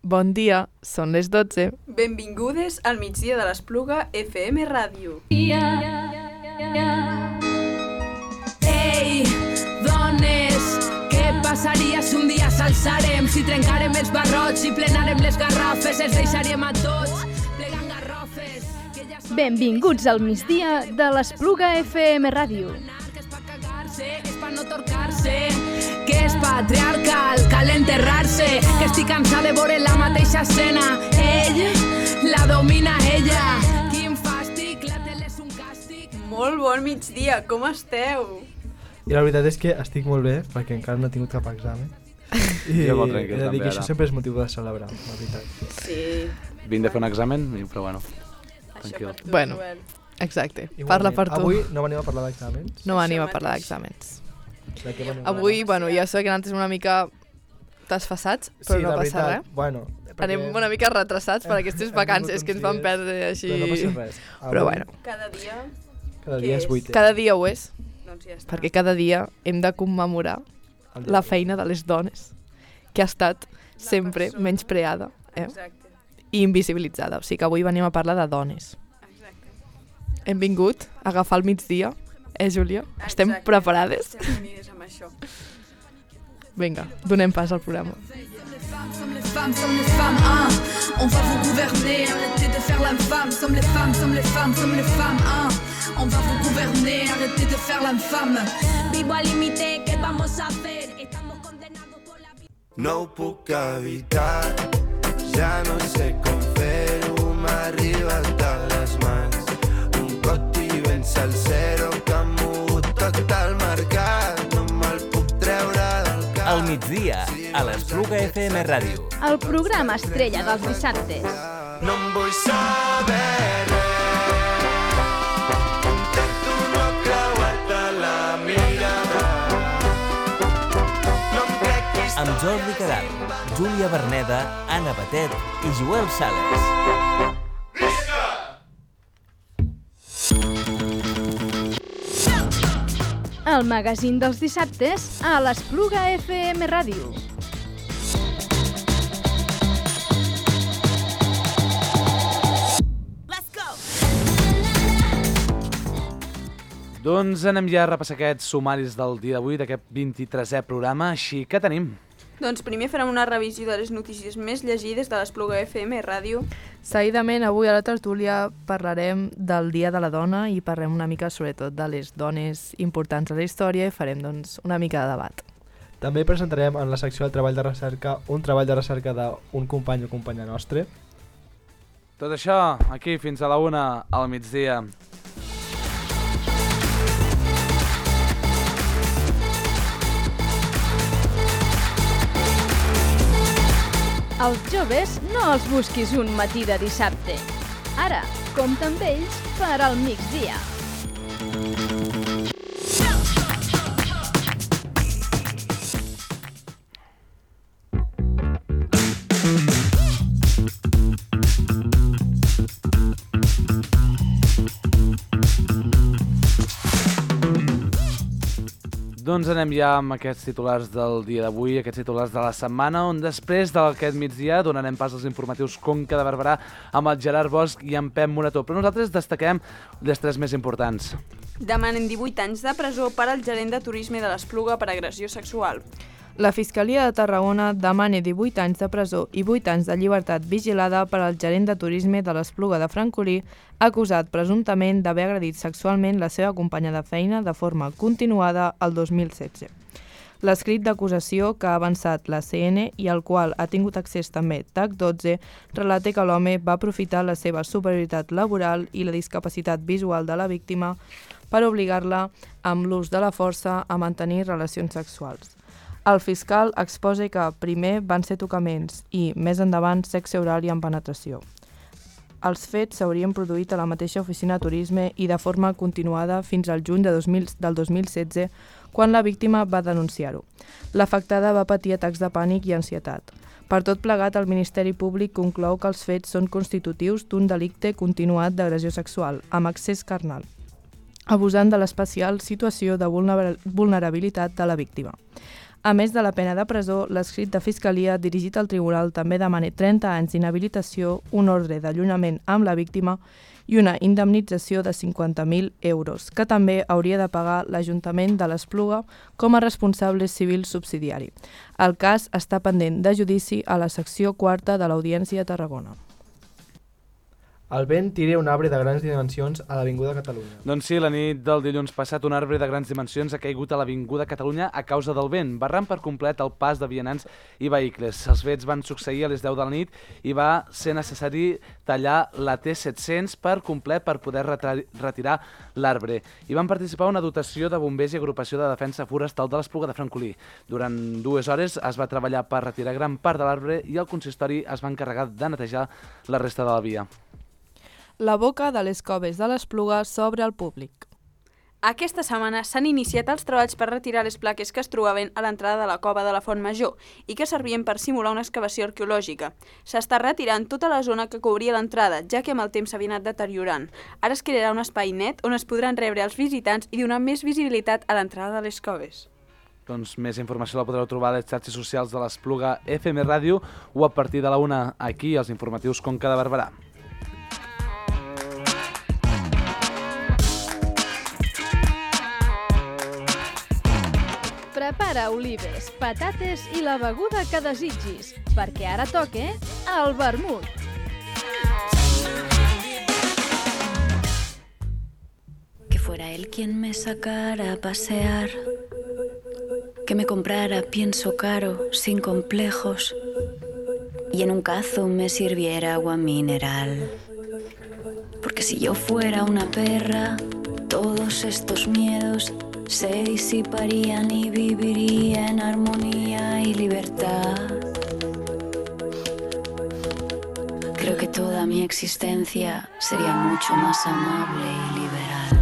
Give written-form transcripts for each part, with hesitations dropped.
Bon dia, són les 12. Benvingudes al migdia de l'Espluga FM Ràdio. Ei, dones, què passaria si un dia s'alçarem? Si trencarem els barrots, si plenarem les garrafes, els deixaríem a tots plegant garrofes. Benvinguts al migdia de l'Espluga FM Ràdio. Que és pa cagar-se, que és pa no torcar-se, que és patriarcal, cal enterrar-se, que estic cansada de veure la mateixa escena. Ell la domina ella. Quin fàstic, la tele és un càstig. Molt bon migdia, com esteu? I la veritat és que estic molt bé, perquè encara no he tingut cap examen. I Jo molt tranquil, he de dir també, que ara. això sempre és motiu de celebrar, la veritat. Sí. Vinc de fer un examen, però bueno, tranquil. Això per tu, Bueno. Joel. Exacte, Igualment, parla per tu. Avui no venim a parlar d'exàmens. No venim a Això parlar mateix. d'exàmens. De què venim a Avui, parlar? bueno, ja sé que nosaltres una mica desfassats, però sí, no la passa veritat, res. Bueno, Anem una mica retrasats per aquestes hem vacances vingut que ens uns van dies, perdre així. Però no passa res. Però bueno, Cada dia, Cada què dia és és? 8. cada dia ho és, doncs ja està. perquè cada dia hem de commemorar la feina de les dones, que ha estat sempre persona. menyspreada Exacte, i invisibilitzada. O sigui que avui venim a parlar de dones. exacte. Hem vingut a agafar el migdia, Júlia? Estem Exacte. preparades? Estem unides amb això. Vinga, donem pas al programa. Sommes les femmes, sommes les femmes, hein. On va vous gouverner, arrêtez de faire l'infâme. Sommes les femmes, sommes les femmes, sommes les femmes, hein. On va vous gouverner, arrêtez de faire l'infâme. Vivo al límite, ¿qué vamos a hacer? Estamos condenados por la vida. No ho puc evitar, ja no sé com fer-ho, m'ha arribat de les mans. Un coti ben salsero que ha mogut tot el mercat, no me'l puc treure del cap. Al migdia, a l'Espluga FM Ràdio. El programa estrella dels dissabtes. No em vull saber res, intento no creuar-te la mirada. No em crec qui està Amb Jordi Caral, Júlia Berneda, Anna Batet i Joel Sales. El magazín dels dissabtes a l'Espluga FM Ràdio. Doncs anem ja a repassar aquests sumaris del dia d'avui, d'aquest 23è programa, així que tenim. Doncs primer farem una revisió de les notícies més llegides de l'Espluga FM Ràdio. Seguidament, avui a la tertúlia parlarem del Dia de la Dona i parlem una mica sobretot de les dones importants a la història i farem doncs, una mica de debat. També presentarem en la secció del treball de recerca un treball de recerca d'un company o companya nostre. Tot això, aquí fins a la 1 al migdia. Els joves no els busquis un matí de dissabte. Ara, compta amb ells per al migdia. Doncs anem ja amb aquests titulars del dia d'avui, aquests titulars de la setmana, on després d'aquest migdia donarem pas als informatius Conca de Barberà amb el Gerard Bosch i en Pep Morató. Però nosaltres destaquem les tres més importants. Demanen 18 anys de presó per al gerent de turisme de l'Espluga per agressió sexual. La Fiscalia de Tarragona demana 18 anys de presó i 8 anys de llibertat vigilada per al gerent de turisme de l'Espluga de Francolí, acusat presumptament d'haver agredit sexualment la seva companya de feina de forma continuada el 2016. L'escrit d'acusació que ha avançat la CN i al qual ha tingut accés també TAC12 relata que l'home va aprofitar la seva superioritat laboral i la discapacitat visual de la víctima per obligar-la amb l'ús de la força a mantenir relacions sexuals. El fiscal exposa que primer van ser tocaments i, més endavant, sexe oral i amb penetració. Els fets s'haurien produït a la mateixa oficina de turisme i de forma continuada fins al juny del 2016, quan la víctima va denunciar-ho. L'afectada va patir atacs de pànic i ansietat. Per tot plegat, el Ministeri Públic conclou que els fets són constitutius d'un delicte continuat d'agressió sexual, amb accés carnal, abusant de l'especial situació de vulnerabilitat de la víctima. A més de la pena de presó, l'escrit de Fiscalia dirigit al tribunal també demana 30 anys d'inhabilitació, un ordre d'allunyament amb la víctima i una indemnització de 50.000 euros, que també hauria de pagar l'Ajuntament de l'Espluga com a responsable civil subsidiari. El cas està pendent de judici a la secció 4 de l'Audiència de Tarragona. El vent tira un arbre de grans dimensions a l'Avinguda Catalunya. Doncs sí, la nit del dilluns passat un arbre de grans dimensions ha caigut a l'Avinguda Catalunya a causa del vent, barrant per complet el pas de vianants i vehicles. Els fets van succeir a les 10 de la nit i va ser necessari tallar la T700 per complet per poder retirar l'arbre. Hi van participar una dotació de bombers i agrupació de defensa forestal de l'Espluga de Francolí. Durant 2 hores es va treballar per retirar gran part de l'arbre i el consistori es va encarregar de netejar la resta de la via. La boca de les coves de l'Espluga s'obre al públic. Aquesta setmana s'han iniciat els treballs per retirar les plaques que es trobaven a l'entrada de la cova de la Font Major i que servien per simular una excavació arqueològica. S'està retirant tota la zona que cobria l'entrada, ja que amb el temps s'havia anat deteriorant. Ara es crearà un espai net on es podran rebre els visitants i donar més visibilitat a l'entrada de les coves. Doncs més informació la podreu trobar a les xarxes socials de l'Espluga FM Ràdio o a partir de la 1 aquí als informatius Conca de Barberà. Prepara olives, patates i la beguda que desitgis, perquè ara toca el vermut. Que fuera él quien me sacara a pasear, que me comprara pienso caro, sin complejos, y en un cazo me sirviera agua mineral. Porque si yo fuera una perra, todos estos miedos se disiparían y viviría en armonía y libertad. Creo que toda mi existencia sería mucho más amable y liberal.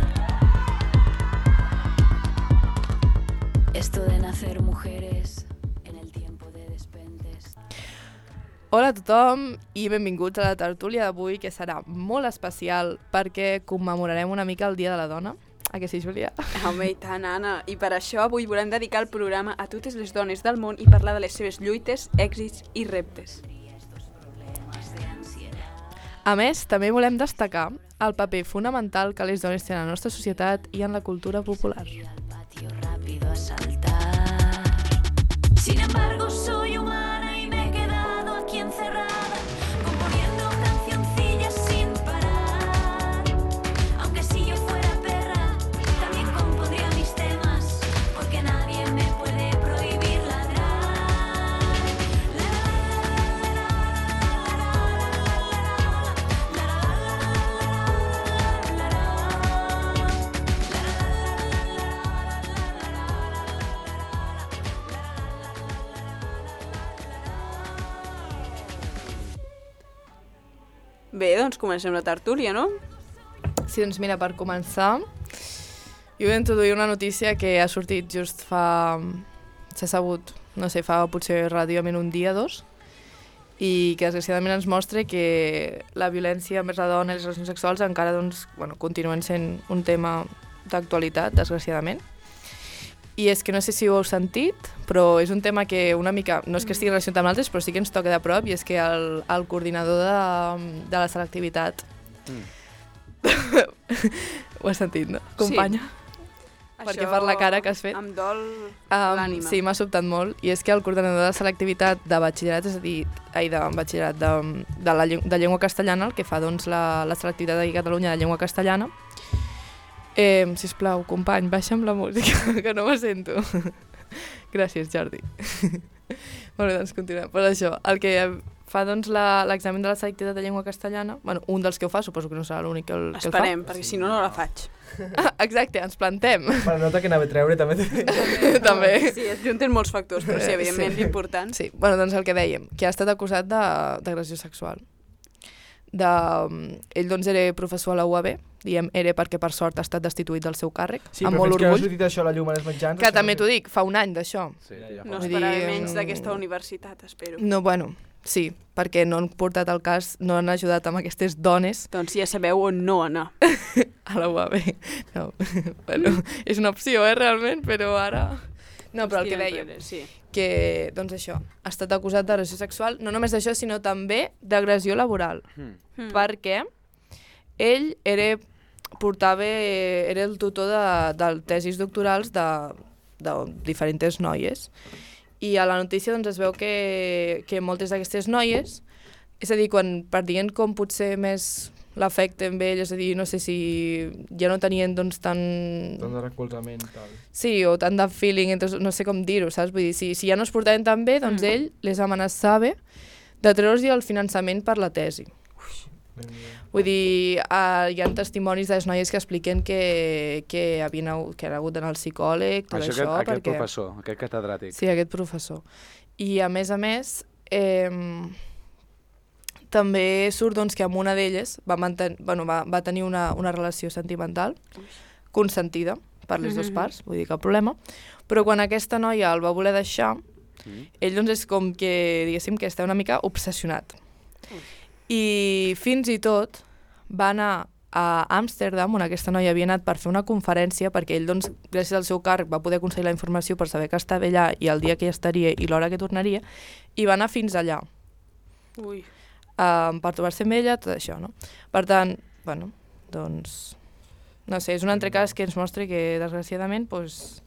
Esto de nacer mujeres en el tiempo de despentes. Hola a tothom i benvinguts a la tertúlia d'avui, que serà molt especial perquè commemorarem una mica el Dia de la Dona. A que sí, Júlia? Home, i tant, Anna. I per això avui volem dedicar el programa a totes les dones del món i parlar de les seves lluites, èxits i reptes. A més, també volem destacar el paper fonamental que les dones tenen a la nostra societat i en la cultura popular. Sin embargo, soy humana y me he quedado aquí encerrada, componiendo cancioncillas sin parar. Aunque si yo fuera perra, también compondría mis temas, porque nadie me puede prohibir ladrar. Bé, doncs comencem la tertúlia, no? Sí, doncs mira, per començar, jo vull introduir una notícia que ha sortit just fa... s'ha sabut, no sé, fa potser ràdiament un dia, 2, i que desgraciadament ens mostra que la violència envers la dona i les relacions sexuals encara doncs, bueno, continuen sent un tema d'actualitat, desgraciadament. I és que no sé si ho heu sentit, però és un tema que una mica, no és que estigui relacionat amb altres, però sí que ens toca de prop, i és que el coordinador de la selectivitat... Ho has sentit, no? Companya? Sí. Perquè per la cara que has fet. Em dol l'ànima. Sí, m'ha sobtat molt, i és que el coordinador de selectivitat de batxillerat, és a dir, de batxillerat de llengua castellana, el que fa doncs, la selectivitat de Catalunya de llengua castellana, sisplau, company, baixa'm la música, que no me sento. Gràcies, Jordi. Molt bé, doncs continuem. Per això, el que fa doncs, l'examen de la selectivitat de llengua castellana, bueno, un dels que ho fa, suposo que no serà l'únic que el fa. Esperem, perquè si no, no la faig. Exacte, ens plantem. Per nota que anava a treure, també. També. Sí, es junten molts factors, però sí, evidentment, l'important. Sí, bueno, doncs el que dèiem, que ha estat acusat d'agressió sexual. Ell doncs era professor a la UAB, diem era perquè per sort ha estat destituït del seu càrrec, amb molt orgull. Sí, però fins que no ha sortit això a la llum a les mitjans... Que també t'ho dic, fa un any d'això. Sí, no esperava menys d'aquesta universitat, espero. No, bueno, sí, perquè no han portat el cas, no han ajudat amb aquestes dones. Doncs ja sabeu on no anar. A la UAB. No, bueno, és una opció, realment, però ara... No, però el que deia, que, doncs això, ha estat acusat d'agressió sexual, no només d'això, sinó també d'agressió laboral, perquè ell era el tutor de tesis doctorals de diferents noies, i a la notícia doncs, es veu que moltes d'aquestes noies, és a dir, per dient com potser més l'afecte amb ell, és a dir, no sé si ja no tenien doncs tant de recolzament i tal. Sí, o tant de feeling, entonces, no sé com dir-ho, saps? Vull dir, si ja no es portaven tan bé, doncs ell les amenaçava de treure'ls el finançament per la tesi. Vull dir, hi ha testimonis de les noies que expliquen que han hagut d'anar al psicòleg, tot això, aquest professor, aquest catedràtic. Sí, aquest professor. I a més, també surt doncs, que amb una d'elles va tenir una relació sentimental consentida per les dues parts, vull dir, cap problema, però quan aquesta noia el va voler deixar, ell doncs, és com que, diguéssim, que està una mica obsessionat. I fins i tot va anar a Amsterdam, on aquesta noia havia anat per fer una conferència, perquè ell, doncs, gràcies al seu càrrec, va poder aconseguir la informació per saber que estava allà i el dia que hi estaria i l'hora que tornaria, i va anar fins allà. Per trobar-se amb ella, tot això, no? Per tant, bueno, doncs, no sé, és un altre cas que ens mostra que, desgraciadament, doncs,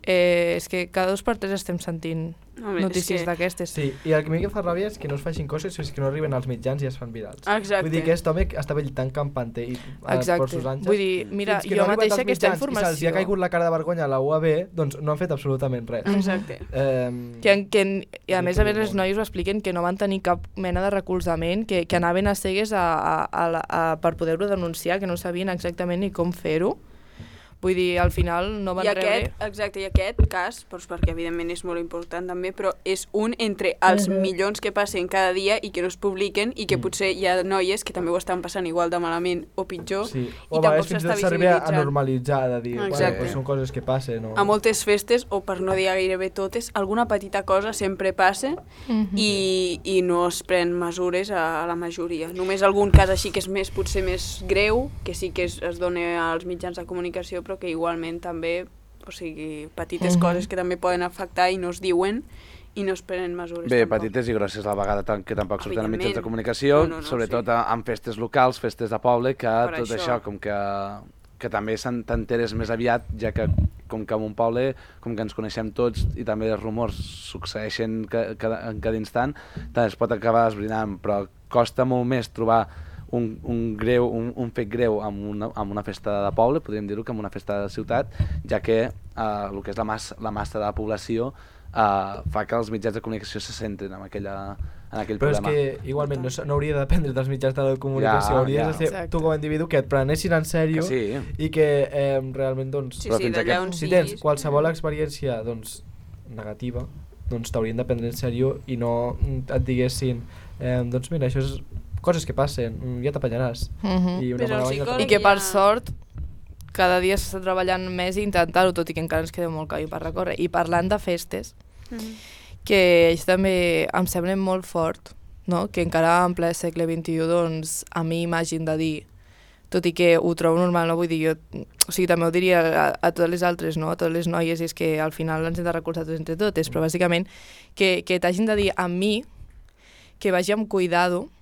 és que cada 2 per 3 estem sentint notícies d'aquestes. Sí, i el que a mi que fa ràbia és que no es facin coses és que no arriben als mitjans i es fan virals. Exacte. Vull dir que aquest home estava tan campante i per sus anys. Vull dir, mira, jo mateixa aquesta informació... I se'ls ha caigut la cara de vergonya a la UAB, doncs no han fet absolutament res. Exacte. I a més les noies ho expliquen que no van tenir cap mena de recolzament, que anaven a cegues per poder-ho denunciar, que no sabien exactament ni com fer-ho. Vull dir, al final no van rebre... Exacte, i aquest cas, doncs perquè evidentment és molt important també, però és un entre els milions que passen cada dia i que no es publiquen i que potser hi ha noies que també ho estan passant igual de malament o pitjor i tampoc s'està visibilitzant. A normalitzar, de dir, bueno, són coses que passen. A moltes festes, o per no dir gairebé totes, alguna petita cosa sempre passa i no es pren mesures a la majoria. Només algun cas així que és potser més greu, que sí que es dona als mitjans de comunicació, però que igualment també, o sigui, petites coses que també poden afectar i no es diuen i no es prenen mesures. Bé, petites i grosses a la vegada, que tampoc surten a mitjans de comunicació, sobretot en festes locals, festes de poble, que tot això, com que també t'enteres més aviat, ja que com que en un poble, com que ens coneixem tots i també els rumors succeeixen en cada instant, també es pot acabar esbrinant, però costa molt més trobar un fet greu amb una festa de poble, podríem dir-ho, que amb una festa de ciutat, ja que el que és la massa de la població fa que els mitjans de comunicació se centren en aquell problema. Però és que igualment no hauria de dependre dels mitjans de la comunicació, hauria de ser tu com a individu que et prenessin en sèrio i que realment, doncs, si tens qualsevol experiència negativa, doncs t'haurien de prendre en sèrio i no et diguessin doncs mira, això és coses que passen, ja t'apanyaràs. I que per sort cada dia s'està treballant més i intentar-ho, tot i que encara ens queda molt camí per recórrer. I parlant de festes, que això també em sembla molt fort, no? Que encara en ple segle XXI doncs, a mi m'hagin de dir, tot i que ho trobo normal, no vull dir, o sigui, també ho diria a totes les altres, no? A totes les noies, i és que al final ens hem de recolzar tots entre totes, però bàsicament que t'hagin de dir a mi que vagi amb cuidado,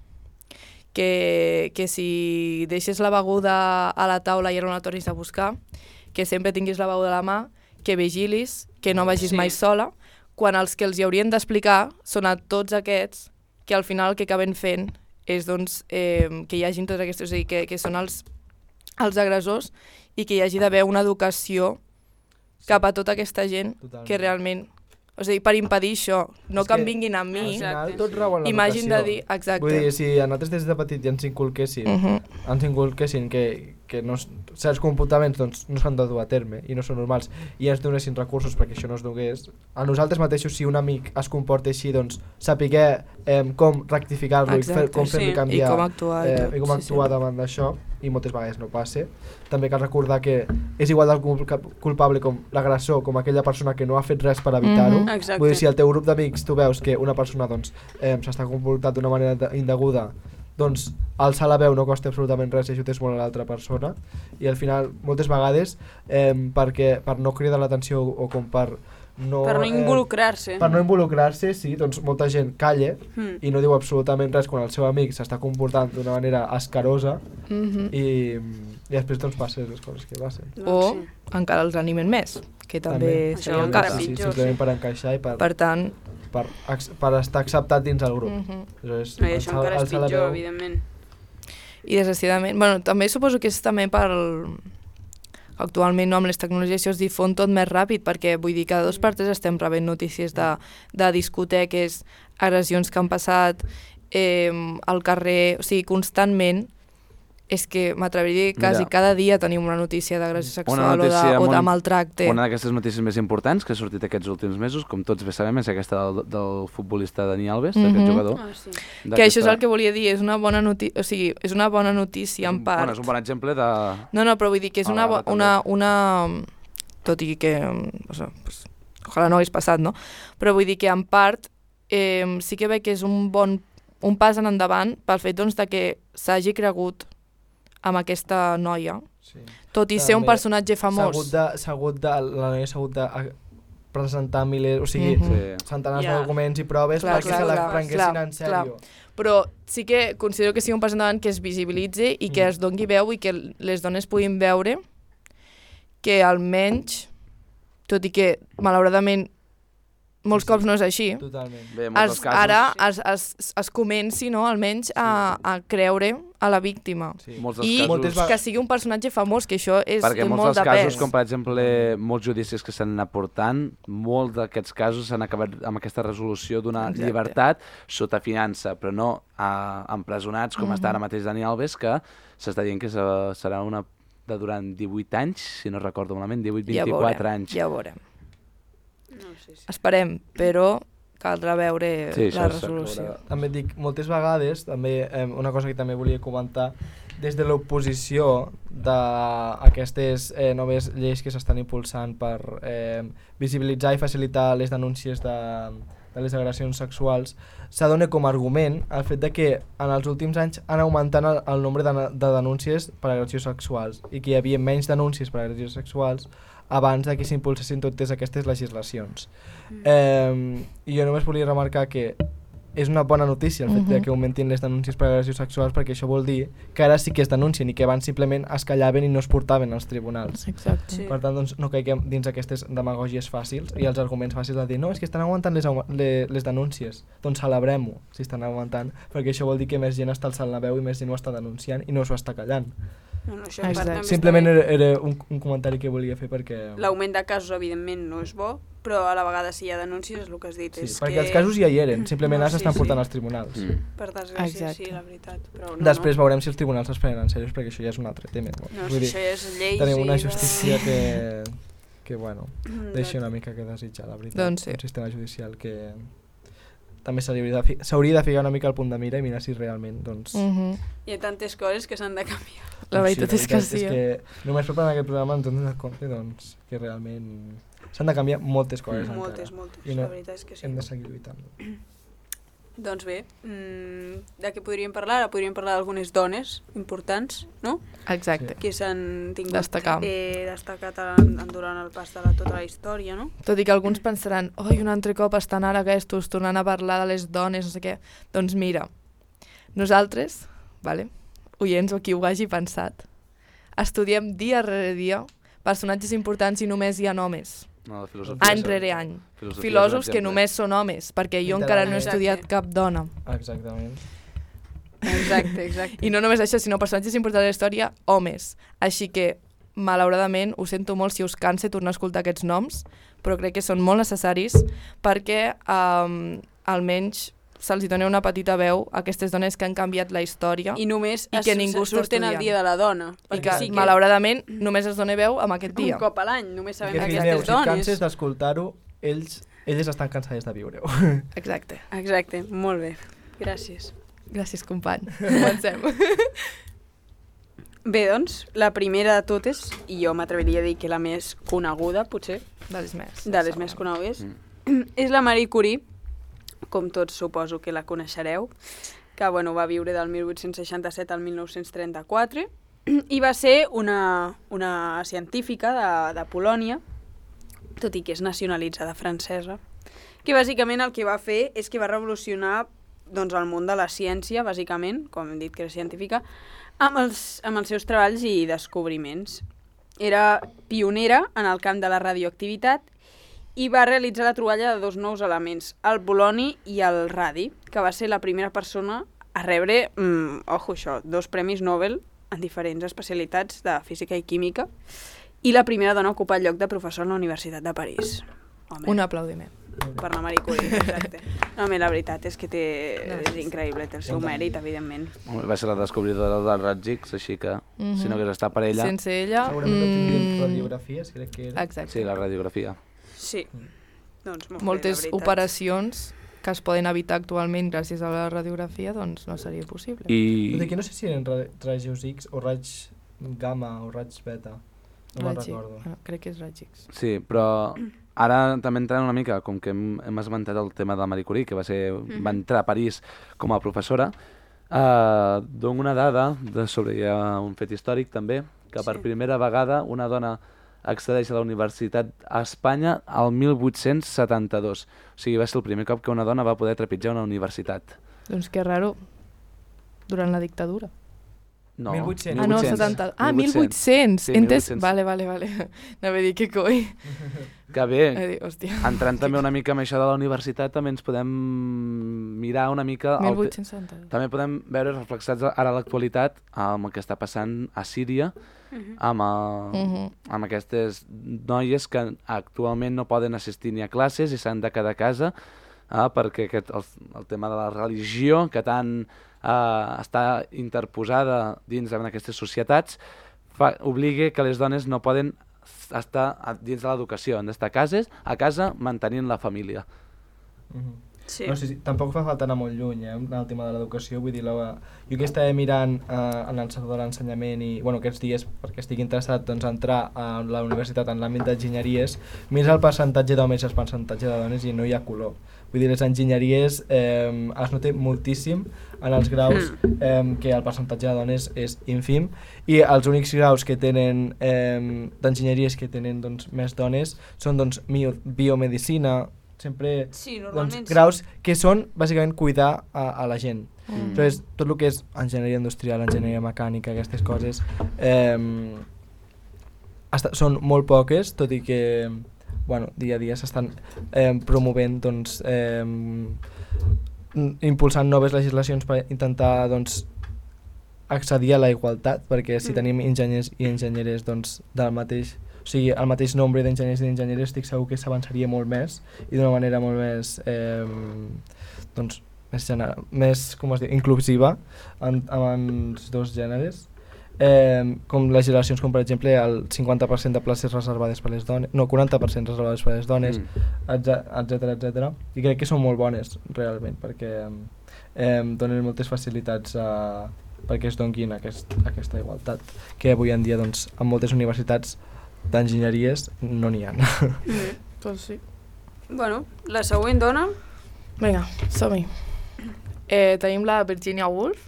que si deixes la beguda a la taula i ara no la tornis a buscar, que sempre tinguis la beguda a la mà, que vigilis, que no vagis mai sola, quan els que els hi haurien d'explicar són a tots aquests que al final el que acaben fent és doncs, que hi hagin tots aquests, o sigui, que són els agressors i que hi hagi d'haver una educació cap a tota aquesta gent que realment... O sigui, per impedir això, no que em vinguin a mi, i m'hagin de dir... Exacte. Vull dir, si a nosaltres des de petit ja ens inculquessin que certs comportaments doncs, no s'han de dur a terme i no són normals i ens donessin recursos perquè això no es donés, a nosaltres mateixos, si un amic es comporta així, doncs sapiguer com rectificar-lo i com fer-li canviar i com actuar davant d'això, i moltes vegades no passa. També cal recordar que és igual de culpable com l'agressor, com aquella persona que no ha fet res per evitar-ho. Vull dir, si al teu grup d'amics tu veus que una persona s'està comportant d'una manera indeguda, doncs alçar la veu no costa absolutament res i ajudes molt a l'altra persona, i al final moltes vegades per no cridar l'atenció o com per Per no involucrar-se. Per no involucrar-se, sí, doncs molta gent calla i no diu absolutament res quan el seu amic s'està comportant d'una manera escarosa i després doncs passen les coses que passen. O encara els animen més, que també seria el cas. Sí, simplement per encaixar i per tant, per estar acceptat dins el grup. Això encara és pitjor, evidentment. I desgraciadament, bueno, també suposo que és també per actualment amb les tecnologies això es difon tot més ràpid, perquè vull dir, cada 2 per 3 estem rebent notícies de discoteques, agressions que han passat al carrer, o sigui, constantment. És que m'atreviria a dir quasi cada dia tenim una notícia d'agressió sexual o de maltracte. Una d'aquestes notícies més importants que ha sortit aquests últims mesos, com tots bé sabem, és aquesta del futbolista Dani Alves, d'aquest jugador. Que això és el que volia dir, és una bona notícia, o sigui, és una bona notícia en part. Bueno, és un bon exemple de... No, però vull dir que és una... Tot i que... Ojalà no hagués passat, no? Però vull dir que en part sí que veig que és un pas en endavant pel fet doncs que s'hagi cregut amb aquesta noia, tot i ser un personatge famós. La noia s'ha hagut de presentar milers, o sigui, centenars d'arguments i proves perquè se la prenguessin en sèrio. Però sí que considero que sigui un pas endavant que es visibilitzi i que es doni veu i que les dones puguin veure que almenys, tot i que malauradament molts cops no és així, ara es comenci, no, almenys a creure a la víctima i que sigui un personatge famós, que això és molt de pes. Perquè molts dels casos, com per exemple molts judicis que s'han anat portant, molts d'aquests casos s'han acabat amb aquesta resolució d'una llibertat sota fiança, però no empresonats com està ara mateix Dani Alves, que s'està dient que serà una de durant 18 anys, si no recordo malament, 18-24 anys. Ja ho veurem. Esperem, però caldrà veure la resolució. També et dic, moltes vegades, una cosa que també volia comentar, des de l'oposició d'aquestes noves lleis que s'estan impulsant per visibilitzar i facilitar les denúncies de les agressions sexuals, s'adona com a argument el fet de que en els últims anys han augmentat el nombre de denúncies per agressions sexuals i que hi havia menys denúncies per agressions sexuals abans que s'impulsessin totes aquestes legislacions. I jo només volia remarcar que és una bona notícia el fet que augmentin les denúncies per agressions sexuals, perquè això vol dir que ara sí que es denuncien i que abans simplement es callaven i no es portaven als tribunals. Exacte. Per tant, doncs, no caiguem dins aquestes demagògies fàcils i els arguments fàcils de dir no, és que estan augmentant les denúncies. Doncs celebrem-ho si estan augmentant, perquè això vol dir que més gent està alçant la veu i més gent ho està denunciant i no s'ho està callant. Simplement era un comentari que volia fer perquè... L'augment de casos evidentment no és bo, però a la vegada si hi ha denúncies és el que has dit. Perquè els casos ja hi eren, simplement s'estan portant als tribunals. Per desgràcia, sí, la veritat. Després veurem si els tribunals es prenen en sèrio, perquè això ja és un altre tema. No, si això ja és lleis... Tenim una justícia que bueno, deixa una mica que desitjar, la veritat. Un sistema judicial que... també s'hauria de ficar una mica al punt de mira i mirar si realment, doncs... Hi ha tantes coses que s'han de canviar. La veritat és que sí. És que només preparant aquest programa ens hem donat compte, doncs, que realment s'han de canviar moltes coses encara. Moltes, la veritat és que sí. Hem de seguir lluitant. Doncs bé, de què podríem parlar? Ara podríem parlar d'algunes dones importants, no? Exacte. Que s'han tingut destacat durant el pas de tota la història, no? Tot i que alguns pensaran, un altre cop estan ara aquests tornant a parlar de les dones, no sé què. Doncs mira, nosaltres, oients o qui ho hagi pensat, estudiem dia rere dia personatges importants i només hi ha homes. Any rere any. Filòsofs que només són homes, perquè jo encara no he estudiat cap dona. Exactament. Exacte. I no només això, sinó personatges importants de la història, homes. Així que, malauradament, ho sento molt si us cansa tornar a escoltar aquests noms, però crec que són molt necessaris perquè almenys se'ls dona una petita veu a aquestes dones que han canviat la història i només que ningú surten el dia de la dona. I que, malauradament, només es dona veu amb aquest dia. Un cop a l'any, només sabem aquestes dones. Si canses d'escoltar-ho, elles estan cansades de viure-ho. Exacte, molt bé. Gràcies. Gràcies, company. Comencem. Bé, doncs, la primera de totes, i jo m'atreviria a dir que la més coneguda, potser, de les més conegudes, és la Marie Curie, com tots suposo que la coneixereu, que va viure del 1867 al 1934 i va ser una científica de Polònia tot i que és nacionalitzada francesa, que bàsicament el que va fer és que va revolucionar doncs, el món de la ciència, bàsicament, com hem dit que era científica, amb els seus treballs i descobriments. Era pionera en el camp de la radioactivitat i va realitzar la troballa de 2 nous elements, el poloni i el radi, que va ser la primera persona a rebre, ojo això, 2 premis Nobel en diferents especialitats de física i química, i la primera dona a ocupar el lloc de professor a la Universitat de París. Home. Un aplaudiment. Per la Marie Curie, exacte. No, la veritat és que és increïble, té el seu mèrit, evidentment. Va ser la descobridora dels raigs X, així que si no hagués estat per ella... Sense ella... Segurament no tindríem radiografies, crec que era. Exacte. Sí, la radiografia. Sí, doncs molt moltes bé, la veritat. Operacions que es poden evitar actualment gràcies a la radiografia, doncs no seria possible. Aquí no sé si eren rajos X o raigs gamma o raigs beta, no me'n recordo. Crec que és raigs X. Sí, però ara també entrant una mica, com que hem esmentat el tema de Marie Curie, que va entrar a París com a professora, dono una dada sobre un fet històric també, que per primera vegada una dona accedeix a la universitat a Espanya al 1872. O sigui, va ser el primer cop que una dona va poder trepitjar una universitat. Doncs que raro, durant la dictadura. No, 1800. Ah, no, 70... Ah, 1800. Sí, Entès? 1800. Vale. Anava a dir que coi. Que bé, hòstia. entrant també una mica amb això de la universitat, també ens podem mirar una mica... 1870. També podem veure reflexats ara a l'actualitat amb el que està passant a Síria, amb aquestes noies que actualment no poden assistir ni a classes i s'han de quedar a casa perquè el tema de la religió, que tant està interposada dins d'aquestes societats, obliga que les dones no poden estar dins de l'educació, han d'estar a casa mantenint la família. Sí. No, sí, tampoc fa falta anar molt lluny en el tema de l'educació, vull dir, jo que estava mirant en el sector de l'ensenyament i aquests dies, perquè estic interessat a entrar a la universitat en l'àmbit d'enginyeries, mira el percentatge d'homes i el percentatge de dones i no hi ha color. Vull dir, les enginyeries es nota moltíssim en els graus que el percentatge de dones és ínfim i els únics graus que tenen d'enginyeries que tenen més dones són biomedicina, sempre graus que són bàsicament cuidar a la gent. Llavors, tot el que és enginyeria industrial, enginyeria mecànica, aquestes coses són molt poques, tot i que dia a dia s'estan promovent, impulsant noves legislacions per intentar accedir a la igualtat, perquè si tenim enginyers i enginyeres del mateix, o sigui, el mateix nombre d'enginyers i d'enginyeres, estic segur que s'avançaria molt més i d'una manera molt més inclusiva amb els dos gèneres, com legislacions com per exemple el 50% de places reservades per les dones, no, 40% reservades per les dones, etc. I crec que són molt bones realment, perquè donen moltes facilitats perquè es donin aquesta igualtat, que avui en dia en moltes universitats d'enginyeries no n'hi ha. Doncs sí. Bueno, la següent dona... Vinga, som-hi. Tenim la Virginia Woolf,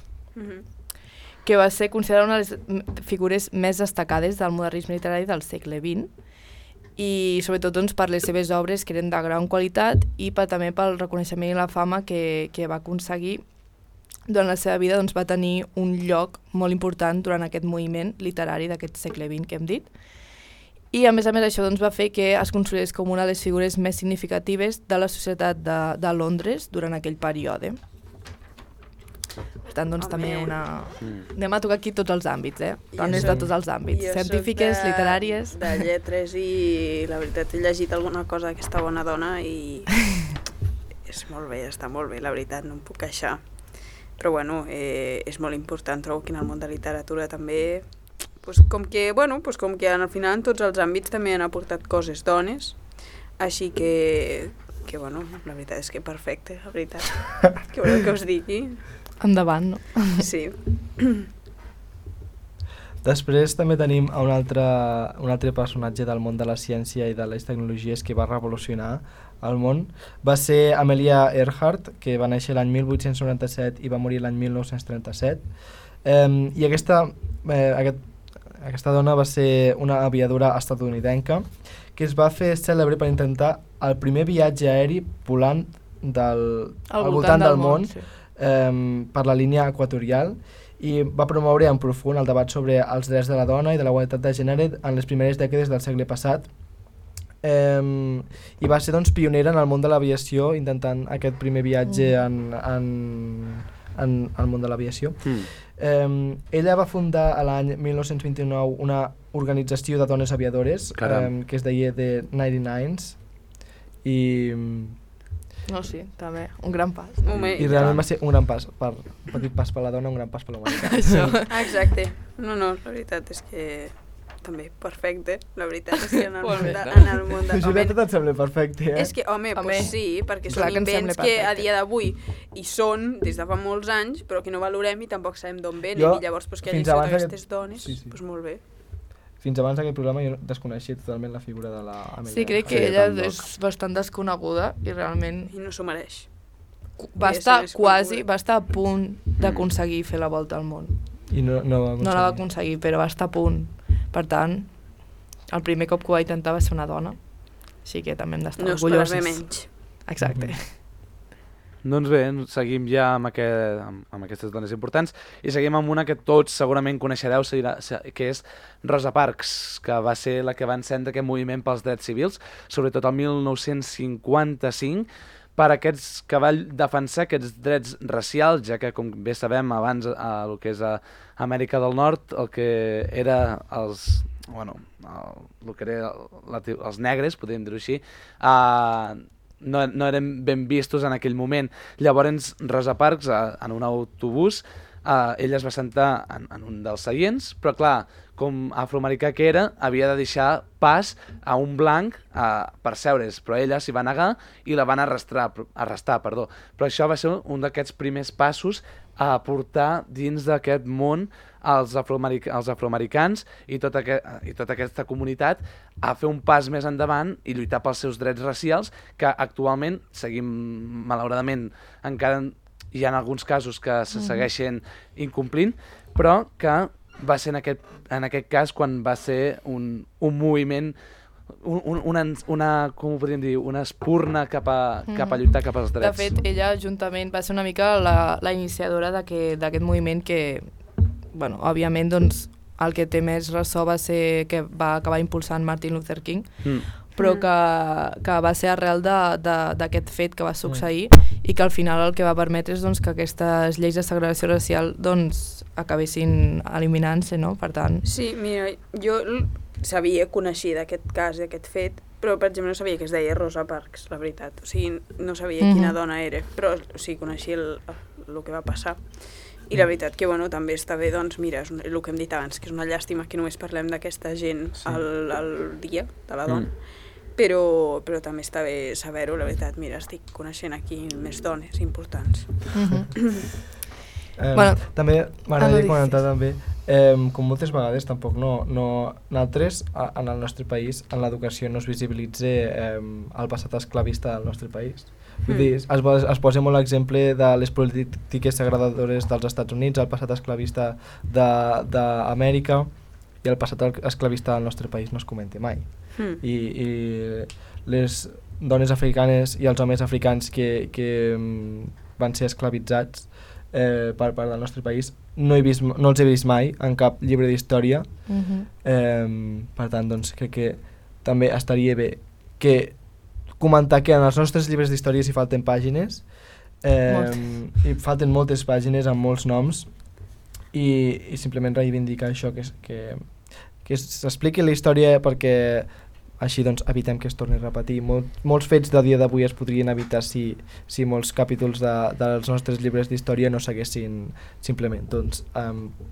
que va ser considerada una de les figures més destacades del modernisme literari del segle XX i sobretot per les seves obres que eren de gran qualitat i també pel reconeixement i la fama que va aconseguir durant la seva vida. Va tenir un lloc molt important durant aquest moviment literari d'aquest segle XX que hem dit. I a més això va fer que es considerés com una de les figures més significatives de la societat de Londres durant aquell període. Per tant, també anem a tocar aquí tots els àmbits, dones de tots els àmbits, científiques, literàries... De lletres i la veritat he llegit alguna cosa d'aquesta bona dona i és molt bé, està molt bé, la veritat, no em puc queixar. Però bueno, és molt important, trobo que en el món de literatura també... com que al final en tots els àmbits també han aportat coses dones, així que la veritat és que perfecte, la veritat. Què voleu que us digui? Endavant, no? Sí. Després també tenim un altre personatge del món de la ciència i de les tecnologies que va revolucionar el món. Va ser Amelia Earhart, que va néixer l'any 1897 i va morir l'any 1937. I aquesta dona va ser una aviadora estatunidenca que es va fer cèlebre per intentar el primer viatge aeri volant al voltant del món per la línia equatorial, i va promoure en profund el debat sobre els drets de la dona i de la igualtat de gènere en les primeres dècades del segle passat, i va ser doncs, pionera en el món de l'aviació, intentant aquest primer viatge en el món de l'aviació. Ella va fundar a l'any 1929 una organització de dones aviadores que es deia The 99s, i no, sí, també, un gran pas. I realment va ser un gran pas, un petit pas per la dona, un gran pas per la humanitat. Això, exacte. No, la veritat és que també perfecte, la veritat és que en el món de... Julieta, et sembla perfecte, És que, home, pues sí, perquè són invents que a dia d'avui hi són des de fa molts anys, però que no valorem i tampoc sabem d'on venen, i llavors que hagin sigut aquestes dones, doncs molt bé. Fins abans d'aquest programa jo desconeixia totalment la figura de l'Amelia. Sí, crec que ella és bastant desconeguda i realment... I no s'ho mereix. Va estar a punt d'aconseguir fer la volta al món. I no la va aconseguir, però va estar a punt. Per tant, el primer cop que ho va intentar va ser una dona. Així que també hem d'estar orgulloses. No esperar menys. Exacte. Doncs bé, seguim ja amb aquestes dones importants i seguim amb una que tots segurament coneixereu, que és Rosa Parks, que va ser la que va encendre aquest moviment pels drets civils, sobretot el 1955, que va defensar aquests drets racials, ja que, com bé sabem, abans el que és a Amèrica del Nord, el que era els negres, podríem dir-ho així, no eren ben vistos en aquell moment. Llavors Rosa Parks, en un autobús, ella es va sentar en un dels seients, però clar, com afroamericà que era, havia de deixar pas a un blanc per seure's, però ella s'hi va negar i la van arrestar. Però això va ser un d'aquests primers passos a portar dins d'aquest món els afroamericans i tota aquesta comunitat a fer un pas més endavant i lluitar pels seus drets racials, que actualment seguim, malauradament, encara hi ha alguns casos que se segueixen incomplint, però que va ser en aquest cas quan va ser un moviment, com ho podríem dir, una espurna cap a lluitar cap als drets. De fet, ella juntament va ser una mica la iniciadora d'aquest moviment que, bueno, òbviament, doncs, el que té més ressò va ser que va acabar impulsant Martin Luther King, però que va ser arrel d'aquest fet que va succeir i que al final el que va permetre és doncs, que aquestes lleis de segregació racial doncs, acabessin eliminant-se, no? Per tant... Sí, mira, jo coneixia d'aquest cas, d'aquest fet, però per exemple no sabia que es deia Rosa Parks, la veritat. O sigui, no sabia quina dona era, però o sigui, coneixia el que va passar. I la veritat que bueno, també està bé, doncs mira, és el que hem dit abans, que és una llàstima que només parlem d'aquesta gent al dia de la dona, però també està bé saber-ho, la veritat, mira, estic coneixent aquí més dones importants. També m'agradaria comentar també, com moltes vegades tampoc nosaltres en el nostre país en l'educació no es visibilitza el passat esclavista del nostre país. Vull dir, es posa molt l'exemple de les polítiques segregadores dels Estats Units, el passat esclavista d'Amèrica i el passat esclavista del nostre país no es comenta mai. I les dones africanes i els homes africans que van ser esclavitzats per part del nostre país no els he vist mai en cap llibre d'història. Per tant, doncs, crec que també estaria bé que comentar que en els nostres llibres d'història hi falten pàgines, hi falten moltes pàgines amb molts noms i simplement reivindicar això, que s'expliqui la història perquè així doncs evitem que es torni a repetir. Molts fets del dia d'avui es podrien evitar si molts capítols dels nostres llibres d'història no s'haguessin simplement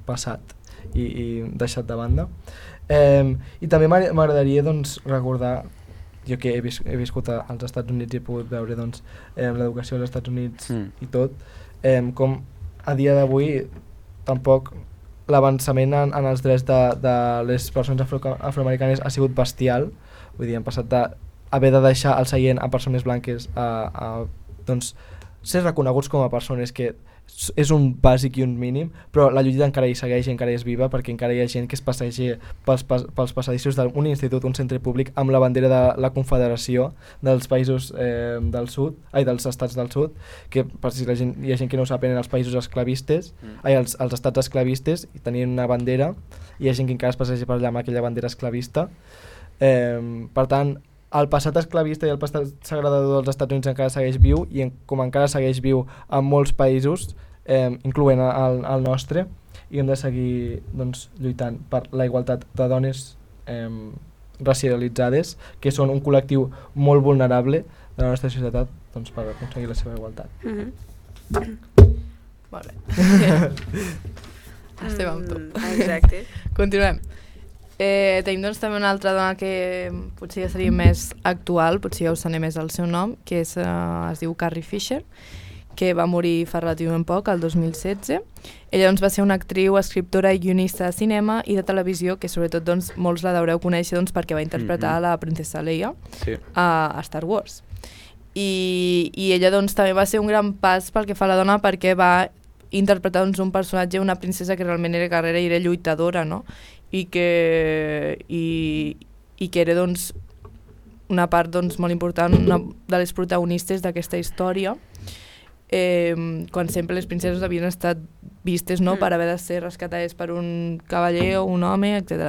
passat i deixat de banda. I també m'agradaria recordar, jo que he viscut als Estats Units i he pogut veure l'educació als Estats Units i tot, com a dia d'avui tampoc l'avançament en els drets de les persones afroamericanes ha sigut bestial. Vull dir, hem passat d'haver de deixar el seient a persones blanques a ser reconeguts com a persones que és un bàsic i un mínim, però la lluita encara hi segueix i encara és viva, perquè encara hi ha gent que es passeja pels passadissos d'un institut, un centre públic, amb la bandera de la Confederació dels països dels estats del sud, que per si hi ha gent que no ho sap, eren els països esclavistes, els estats esclavistes, i tenien una bandera, i hi ha gent que encara es passeja per allà amb aquella bandera esclavista. Per tant, el passat esclavista i el passat segredador dels Estats Units encara segueix viu, i com encara segueix viu en molts països, incloent el nostre, i hem de seguir lluitant per la igualtat de dones racialitzades, que són un col·lectiu molt vulnerable de la nostra societat, per aconseguir la seva igualtat. Molt bé. Estem amb tu. Exacte. Continuem. Tenim també una altra dona que potser ja seria més actual, potser ja us sonarà més el seu nom, que es diu Carrie Fisher, que va morir fa relativament poc, el 2016. Ella va ser una actriu, escriptora i guionista de cinema i de televisió, que sobretot molts la deureu conèixer perquè va interpretar la princesa Leia a Star Wars. I ella també va ser un gran pas pel que fa a la dona, perquè va interpretar un personatge, una princesa que realment era guerrera i era lluitadora, no? I que era una part molt important, una de les protagonistes d'aquesta història, quan sempre les princeses havien estat vistes per haver de ser rescatades per un cavaller o un home, etc.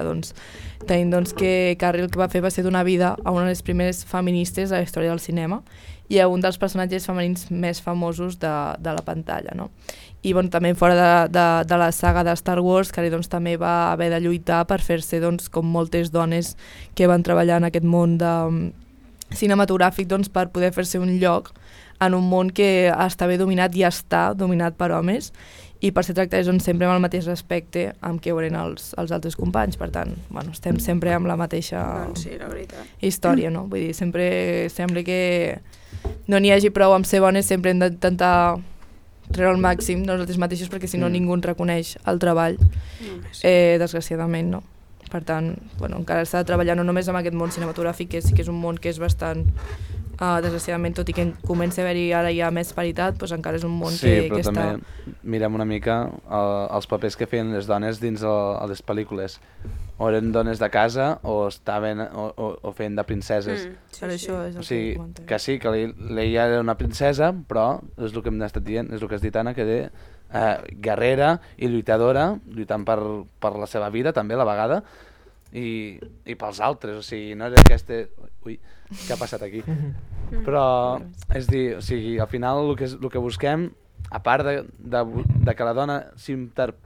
Tenim que Carrie el que va fer va ser donar vida a una de les primeres feministes de la història del cinema i a un dels personatges femenins més famosos de la pantalla, no? I també fora de la saga de Star Wars, Carrie també va haver de lluitar per fer-se, com moltes dones que van treballar en aquest món cinematogràfic, per poder fer-se un lloc en un món que estava dominat i està dominat per homes, i per ser tractades sempre amb el mateix respecte amb què ho eren els altres companys. Per tant, estem sempre amb la mateixa història, no? Vull dir, sempre sembla que no n'hi hagi prou amb ser bones, sempre hem d'intentar treure al màxim nosaltres mateixos, perquè si no ningú ens reconeix el treball, desgraciadament, no? Per tant, encara s'ha de treballar no només amb aquest món cinematogràfic, que sí que és un món que és bastant, desgraciadament, tot i que comença a haver-hi ara ja més paritat, encara és un món que està... Sí, però també mirem una mica els papers que feien les dones dins les pel·lícules. O eren dones de casa o feien de princeses. Per això és el que comentem. Que sí, que Leia era una princesa, però és el que hem estat dient, és el que has dit, Anna, que era guerrera i lluitadora, lluitant per la seva vida també a la vegada, i pels altres, o sigui, no era aquesta... Ui, què ha passat aquí? Però, és dir, o sigui, al final el que busquem, a part de que la dona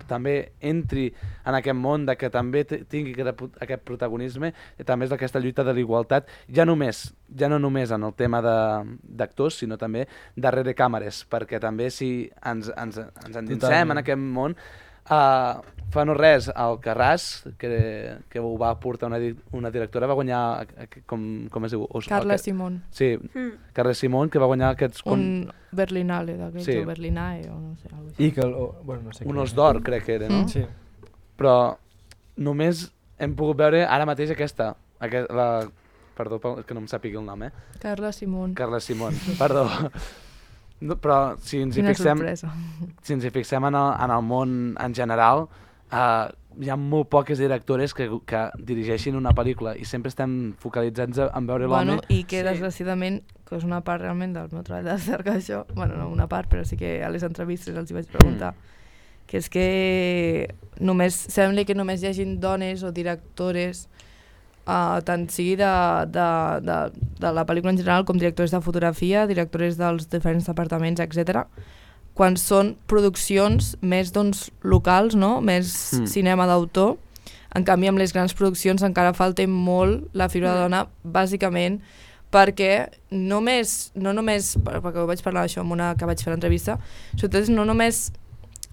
també entri en aquest món, de que també tingui aquest protagonisme, també és aquesta lluita de l'igualtat, ja no només en el tema d'actors, sinó també darrere càmeres, perquè també si ens endinsem en aquest món, fa no res, el Carràs, que ho va portar una directora, va guanyar, com es diu? Carla Simón. Sí, Carla Simón, que va guanyar aquests... Un Berlinale d'aquells, o Berlinae, o no sé. No sé un Os d'Or, crec que era, no? Sí. Però només hem pogut veure ara mateix aquesta, perdó, que no em sàpiga el nom, Carla Simón. Carla Simón, perdó. No, però si ens hi fixem en el món en general, hi ha molt poques directores que dirigeixin una pel·lícula i sempre estem focalitzats en veure l'home. I que desgraciadament, que és una part realment del meu treball de cerca, això, no una part, però sí que a les entrevistes els hi vaig preguntar, que és que sembla que només hi hagin dones o directores, tant sigui de la pel·lícula en general com directors de fotografia, directors dels diferents departaments, etc., quan són produccions més locals, no? Més cinema d'autor. En canvi, amb les grans produccions encara falta molt la figura de dona, bàsicament perquè no només, perquè ho vaig parlar això amb una que vaig fer l'entrevista, sobretot no només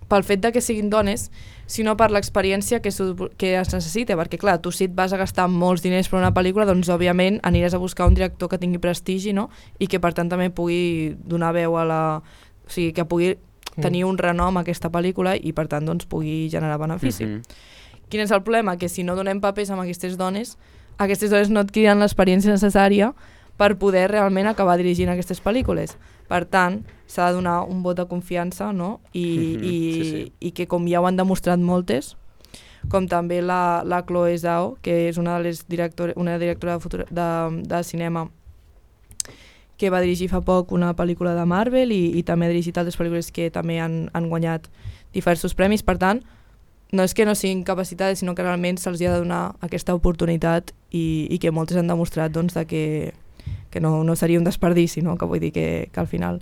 pel fet de que siguin dones, sinó per l'experiència que es necessita, perquè clar, tu si et vas a gastar molts diners per una pel·lícula, doncs òbviament aniràs a buscar un director que tingui prestigi, no? I que per tant també pugui donar veu a la... O sigui, que pugui tenir un renom a aquesta pel·lícula i per tant doncs pugui generar benefici. Quin és el problema? Que si no donem papers a aquestes dones no adquiriran l'experiència necessària per poder realment acabar dirigint aquestes pel·lícules. Per tant, s'ha de donar un vot de confiança, no? I que com ja ho han demostrat moltes, com també la Chloe Zhao, que és una directora de cinema que va dirigir fa poc una pel·lícula de Marvel i també ha dirigit altres pel·lícules que també han guanyat diversos premis. Per tant, no és que no siguin capacitades, sinó que realment se'ls ha de donar aquesta oportunitat i que moltes han demostrat doncs, que no seria un desperdici, no? Que vull dir que al final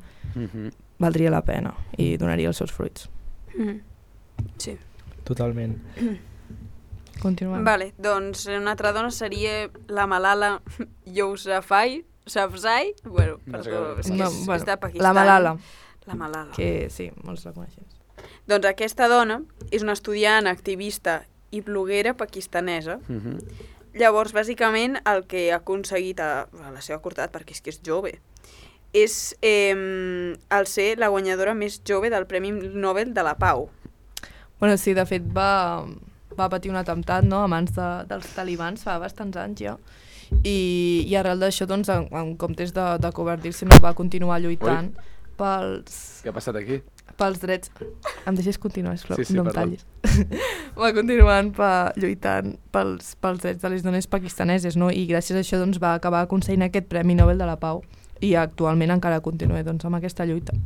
valdria la pena i donaria els seus fruits. Sí. Totalment. Continuem. Vale, doncs una altra dona seria la Malala Yousafzai. Bueno, perdó, és de Pakistan. La Malala. La Malala. Que sí, molts la coneixen. Doncs aquesta dona és una estudiant, activista i bloguera pakistanesa. Llavors, bàsicament, el que ha aconseguit a la seva curta edat, perquè és que és jove, és el ser la guanyadora més jove del Premi Nobel de la Pau. Bueno, sí, de fet va patir un atemptat, no?, a mans dels talibans fa bastants anys ja, i arrel d'això, doncs, en comptes de covardir-se, no, va continuar lluitant pels... Què ha passat aquí? Pels drets... Em deixes continuar, sisplau, sí, no em tallis. Va continuant lluitant pels drets de les dones pakistaneses, no? I gràcies a això doncs, va acabar aconseguint aquest Premi Nobel de la Pau i actualment encara continua doncs, amb aquesta lluita.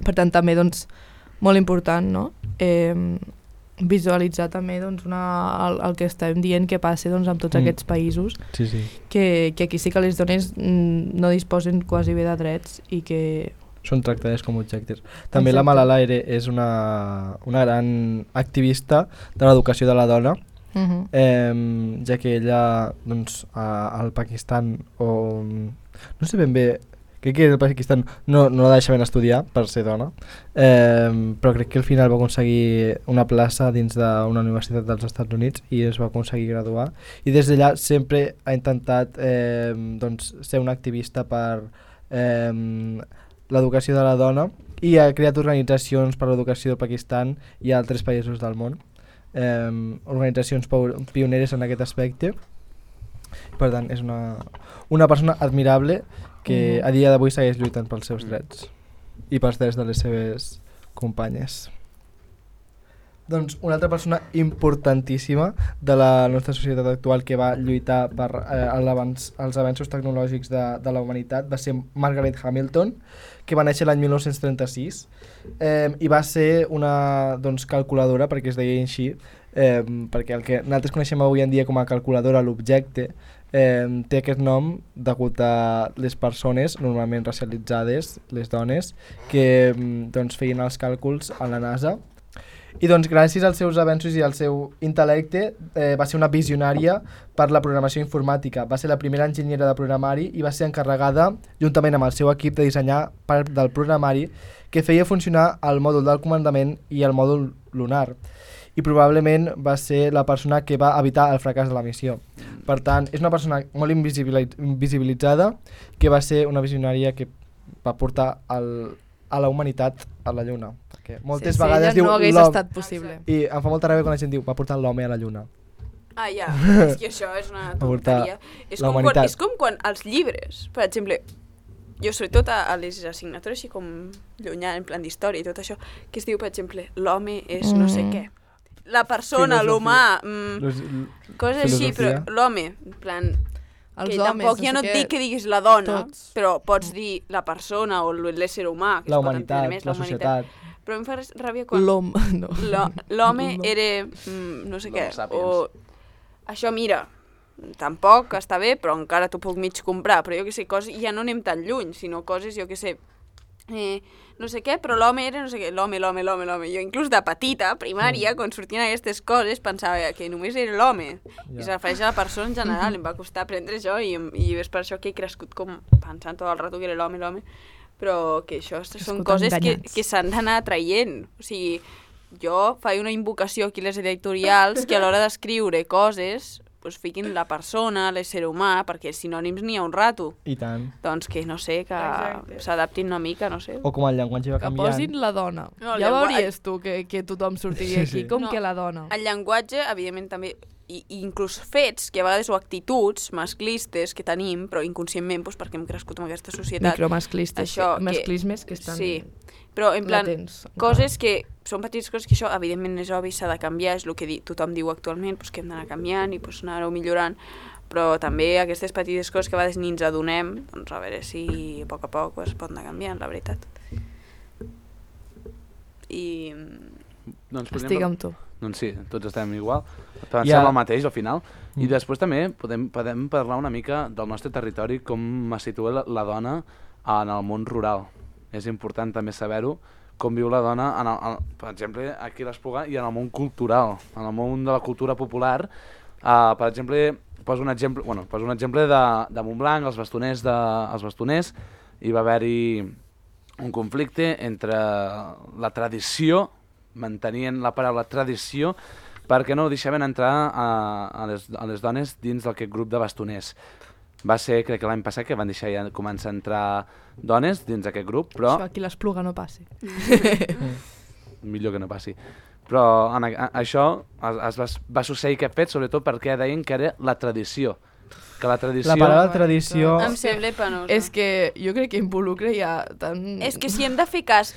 Per tant, també doncs, molt important, no? Visualitzar també doncs, el que estem dient que passa doncs, amb tots aquests països, que aquí sí que les dones no disposen quasi bé de drets i que... Són tractades com objectes. També la Malala és una gran activista de l'educació de la dona, ja que ella doncs, al Pakistan, no sé ben bé, crec que el Pakistan no la deixaven estudiar per ser dona, però crec que al final va aconseguir una plaça dins d'una universitat dels Estats Units i es va aconseguir graduar. I des d'allà sempre ha intentat doncs, ser una activista per l'educació de la dona i ha creat organitzacions per l'educació del Pakistan i altres països del món, organitzacions pioneres en aquest aspecte. Per tant, és una persona admirable que a dia d'avui segueix lluitant pels seus drets i pels drets de les seves companyes. Doncs una altra persona importantíssima de la nostra societat actual que va lluitar per els avenços tecnològics de la humanitat va ser Margaret Hamilton, que va néixer l'any 1936 i va ser una calculadora, perquè es deia així, perquè el que nosaltres coneixem avui en dia com a calculadora, l'objecte, té aquest nom degut a les persones normalment racialitzades, les dones, que feien els càlculs a la NASA. I doncs gràcies als seus avenços i al seu intel·lecte va ser una visionària per la programació informàtica. Va ser la primera enginyera de programari i va ser encarregada, juntament amb el seu equip, de dissenyar part del programari que feia funcionar el mòdul del comandament i el mòdul lunar. I probablement va ser la persona que va evitar el fracàs de la missió. Per tant, és una persona molt invisibilitzada que va ser una visionària que va portar a la humanitat a la Lluna. Perquè moltes vegades diu no hagués estat possible. I em fa molta ràbia quan la gent diu va portar l'home a la Lluna. Ah, ja, és que això és una tonteria. És com quan els llibres, per exemple, jo sobretot a les assignatures així com llunyà, en plan d'història i tot això, que es diu, per exemple, l'home és no sé què. La persona, l'humà, coses així, però l'home, en plan... Que tampoc ja no et dic que diguis la dona, però pots dir la persona o l'ésser humà. La humanitat, la societat. Però em fa ràbia quan... L'home era no sé què. O això, mira, tampoc està bé, però encara t'ho puc mig comprar. Però jo què sé, coses ja no anem tan lluny, sinó coses, jo què sé, no sé què, però l'home era no sé què, l'home. Jo inclús de petita, primària, quan sortien aquestes coses, pensava que només era l'home. I es refereix a la persona en general, em va costar aprendre això i és per això que he crescut com pensant tot el rato que era l'home. Però que això són coses que s'han d'anar traient. O sigui, jo faig una invocació aquí a les editorials que a l'hora d'escriure coses pues fiquin la persona, l'ésser humà, perquè sinònims n'hi ha un rato. I tant. Doncs que, no sé, que s'adaptin una mica, no sé. O com el llenguatge va canviant. Que posin la dona. No, ja veuries tu que tothom sortiria aquí, com que la dona. El llenguatge, evidentment, també i inclús fets que a vegades o actituds masclistes que tenim, però inconscientment perquè hem crescut en aquesta societat. Micromasclistes, masclismes que estan però en plan, latents. Coses que són petites coses que això evidentment és obvi, s'ha de canviar, és el que tothom diu actualment, que hem d'anar canviant i anar-ho millorant, però també aquestes petites coses que a vegades ni ens adonem, doncs a veure si a poc es pot anar canviant, la veritat. I... Estic amb tu. Doncs sí, tots estem igual, pensem el mateix al final. I després també podem parlar una mica del nostre territori, com es situa la dona en el món rural. És important també saber-ho, com viu la dona, per exemple, aquí a l'Espluga i en el món cultural, en el món de la cultura popular. Per exemple, poso un exemple de Montblanc, els bastoners, hi va haver-hi un conflicte entre la tradició, mantenien la paraula tradició, perquè no deixaven entrar a les dones dins d'aquest grup de bastoners. Va ser, crec que l'any passat, que van deixar ja començar a entrar dones dins d'aquest grup, però... Això aquí l'Espluga no passi. Millor que no passi. Però això va succeir aquest fet, sobretot perquè deien que era la tradició. Que la tradició... La paraula tradició... Em sembla penosa. És que jo crec que involucra ja tant... És que si hem de fer cas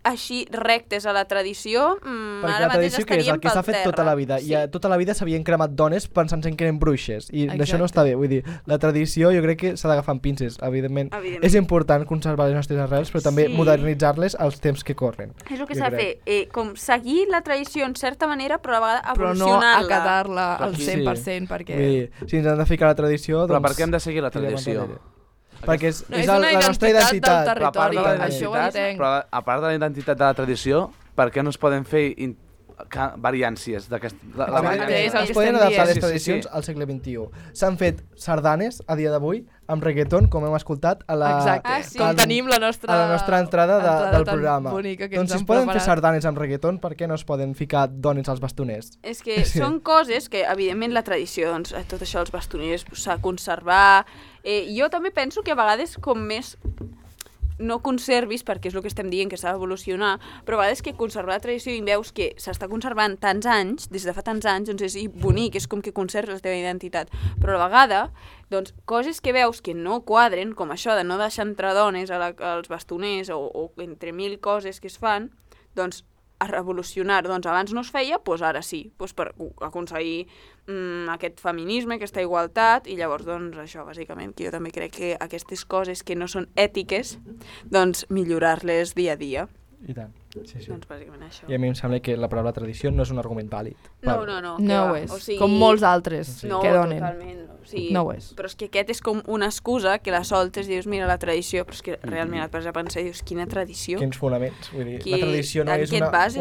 així rectes a la tradició, ara mateix estaríem pel terra. Perquè la tradició que és el que s'ha fet tota la vida. I tota la vida s'havien cremat dones pensant que eren bruixes. I això no està bé. Vull dir, la tradició jo crec que s'ha d'agafar amb pinces, evidentment. És important conservar les nostres arrels, però també modernitzar-les als temps que corren. És el que s'ha de fer, com seguir la tradició en certa manera, però a la vegada evolucionar-la. Però no acatar-la al 100%, perquè... Si ens han de ficar la tradició, però per què hem de seguir la tradició? Perquè és la nostra identitat. Però a part de la identitat de la tradició, per què no es poden fer variàncies d'aquesta... Es poden adaptar les tradicions al segle XXI. S'han fet sardanes a dia d'avui amb reggaeton, com hem escoltat a la tenim la nostra entrada del programa. Doncs si es poden fer sardanes amb reggaeton, per què no es poden ficar dones als bastoners? És que són coses que, evidentment, la tradició, doncs, tot això dels bastoners s'ha de conservar. Jo també penso que a vegades com més no conservis, perquè és el que estem dient, que s'ha d'evolucionar, però a vegades que conservar la tradició i veus que s'està conservant tants anys, des de fa tants anys, doncs és bonic, és com que conserves la teva identitat. Però a la vegada, doncs, coses que veus que no quadren, com això de no deixar entrar dones als bastoners o entre mil coses que es fan, doncs a revolucionar, doncs abans no es feia, doncs ara sí, doncs per aconseguir aquest feminisme, aquesta igualtat, i llavors doncs això, bàsicament, que jo també crec que aquestes coses que no són ètiques, doncs millorar-les dia a dia. I tant, sí. Doncs bàsicament això. I a mi em sembla que la paraula tradició no és un argument vàlid. No. No ho és, com molts altres que donen. Totalment. No ho és. Però és que aquest és com una excusa que la soltes i dius, mira, la tradició, però és que realment et vas a pensar i dius, quina tradició? Quins fonaments? Vull dir, la tradició no és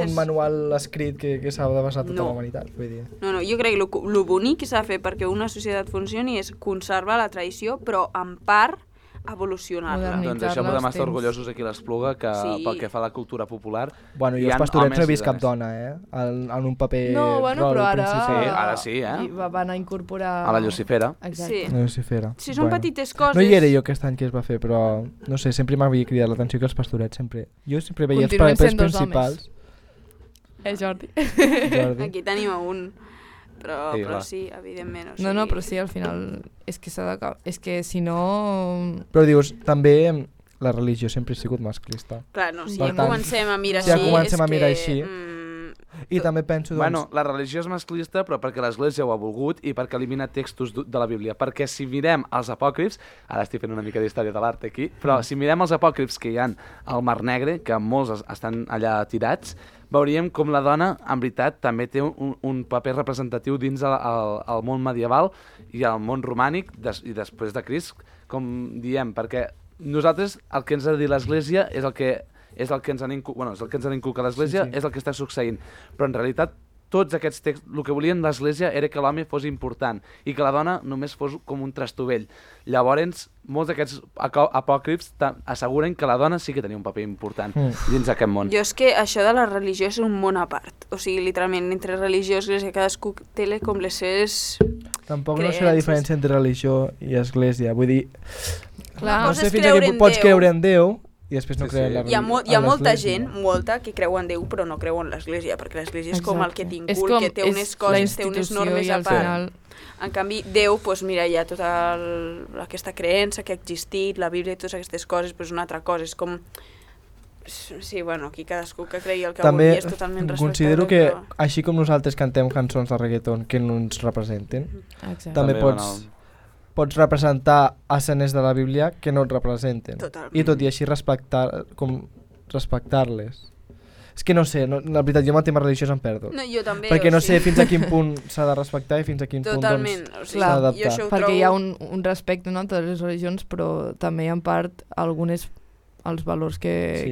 un manual escrit que s'ha de basar tota la humanitat. Vull dir. No, jo crec que el bonic que s'ha de fer perquè una societat funcioni és conservar la tradició, però en part evolucionar-la. Doncs això podem estar orgullosos aquí a l'Espluga, que pel que fa a la cultura popular... Bueno, i els pastorets no he vist cap dona, en un paper rol principal. Sí, ara sí, van a incorporar... A la Lucifera. Exacte. La Lucifera. Sí, són petites coses... No hi era jo aquest any que es va fer, però no sé, sempre m'havia cridat l'atenció que els pastorets sempre... Jo sempre veia els papers principals. Jordi. Aquí tenim un... Però sí, evidentment. O sigui... No, però sí, al final és que s'ha d'acabar. És que si no... Però dius, també la religió sempre ha sigut masclista. Clar, no, si ja comencem a mirar així... Si ja comencem a mirar així... I també penso, doncs... Bueno, la religió és masclista, però perquè l'Església ho ha volgut i perquè elimina textos de la Bíblia. Perquè si mirem els apòcrifs... Ara estic fent una mica d'història de l'art aquí, però si mirem els apòcrifs que hi ha al Mar Negre, que molts estan allà tirats, veuríem com la dona, en veritat, també té un paper representatiu dins el món medieval i el món romànic i després de Crist, com diem, perquè nosaltres el que ens ha de dir l'Església és el que ens han inculcat l'Església, és el que està succeint. Però en realitat tots aquests textos, el que volien l'Església era que l'home fos important i que la dona només fos com un trastovell. Llavors, molts d'aquests apòcrifs asseguren que la dona sí que tenia un paper important dins d'aquest món. Jo és que això de la religió és un món a part. O sigui, literalment, entre religió i església, cadascú té com les seves... Tampoc no sé la diferència entre religió i església. Vull dir, clar, no sé fins a quin punt pots creure en Déu i després no creuen hi ha molta gent, molta, que creu en Déu però no creu en l'Església, perquè l'Església és com el que t'incul, que té unes coses, té unes normes a part. En canvi, Déu, mira, hi ha tota aquesta creença que ha existit, la Bíblia i totes aquestes coses, però és una altra cosa, és com... Sí, bueno, aquí cadascú que cregui el que vulgui és totalment respectable. Considero que, així com nosaltres cantem cançons de reggaeton que no ens representen, també pots representar escenes de la Bíblia que no et representen. Totalment. I tot i així respectar-les. És que no sé, la veritat, jo amb el tema religiós em perdo. No, jo també. Perquè no sé fins a quin punt s'ha de respectar i fins a quin punt s'ha d'adaptar. Perquè hi ha un respecte a totes les religions, però també en part algunes... els valors que